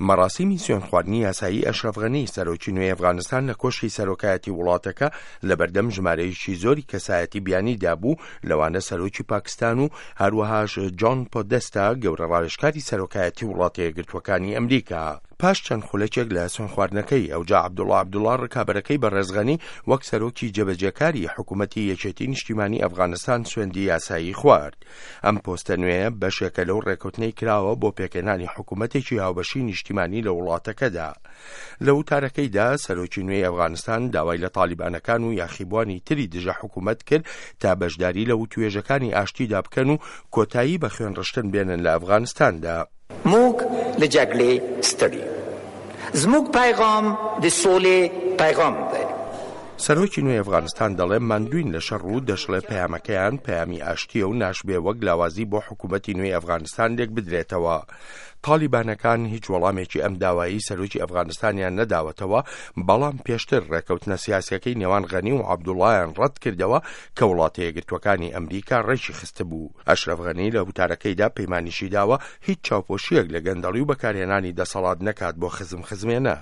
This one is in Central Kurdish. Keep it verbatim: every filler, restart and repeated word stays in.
مەراسیمی سوێندخواردنی یاسایی ئەشرەف غەنی، سەرۆکی نوێی ئەفغانستان لە کۆشکی سەرۆکایەتی وڵاتەکە لەبەردەم ژمارەیەکی زۆری کەسایەتی بیانیدا بوو، لەوانە سەرۆکی پاکستان و هەروەهاش جۆن پۆدێستا گەورە ڕاوێژکاری سەرۆکایەتی وڵاتە یەکگرتووەکانی ئەمریکا. پاش چەند خولەکێک لە سوێندخواردنەکەی، ئەوجا عەبدوڵا عەبدوڵا ڕکابەرەکەی بەڕێز غەنی وەک سەرۆکی جێبەجێکاری حکوومەتی یەکێتی نیشتیمانی ئەفغانستان سوێندی یاسایی خوارد. ئەم پۆستە نوێیە بەشێکە لەو ڕێکەوتنەی کراوە بۆ پێکهێنانی حکوومەتێکی هاوبەشی نیشتیمانی لە وڵاتەکەدا. لە وتارەکەیدا سەرۆکی نوێی ئەفغانستان داوای لە تالیبانەکان و یاخیبوانی تری دژە حکوومەت کرد تا بەشداری لە وتوێژەکانی ئاشتیدا بکەن و کۆتایی بە خوێنڕشتن بێنن لە ئەفغانستاندا. موږ له جګړې ستړي یو. زموږ پیغام د سولې پیغام دی. سەرۆکی نوێی ئەفغانستان دەڵێ ماندووین لە شەڕ و دەشڵێ پەیامەکەیان پەیامی ئاشتییە و ناشبێ وەک لاوازی بۆ حکوومەتی نوێی ئەفغانستان لێکبدرێتەوە. تاڵیبانەکان هیچ وەڵامێکی ئەم داوایەی سەرۆکی ئەفغانستانیان نەداوەتەوە، بەڵام پێشتر ڕێکەوتنە سیاسیەکەی نێوان غەنی و عەبدوڵایان ڕەتکردەوە کە وڵاتە یەکگرتووەکانی ئەمریکا ڕێکی خستبوو. ئەشرەف غەنی لە وتارەکەیدا پەیمانیشی داوە هیچ چاوپۆشییەک لە گەندەڵی و بەکارهێنانی دەسەڵات نەکات بۆ خزم خزمێنە.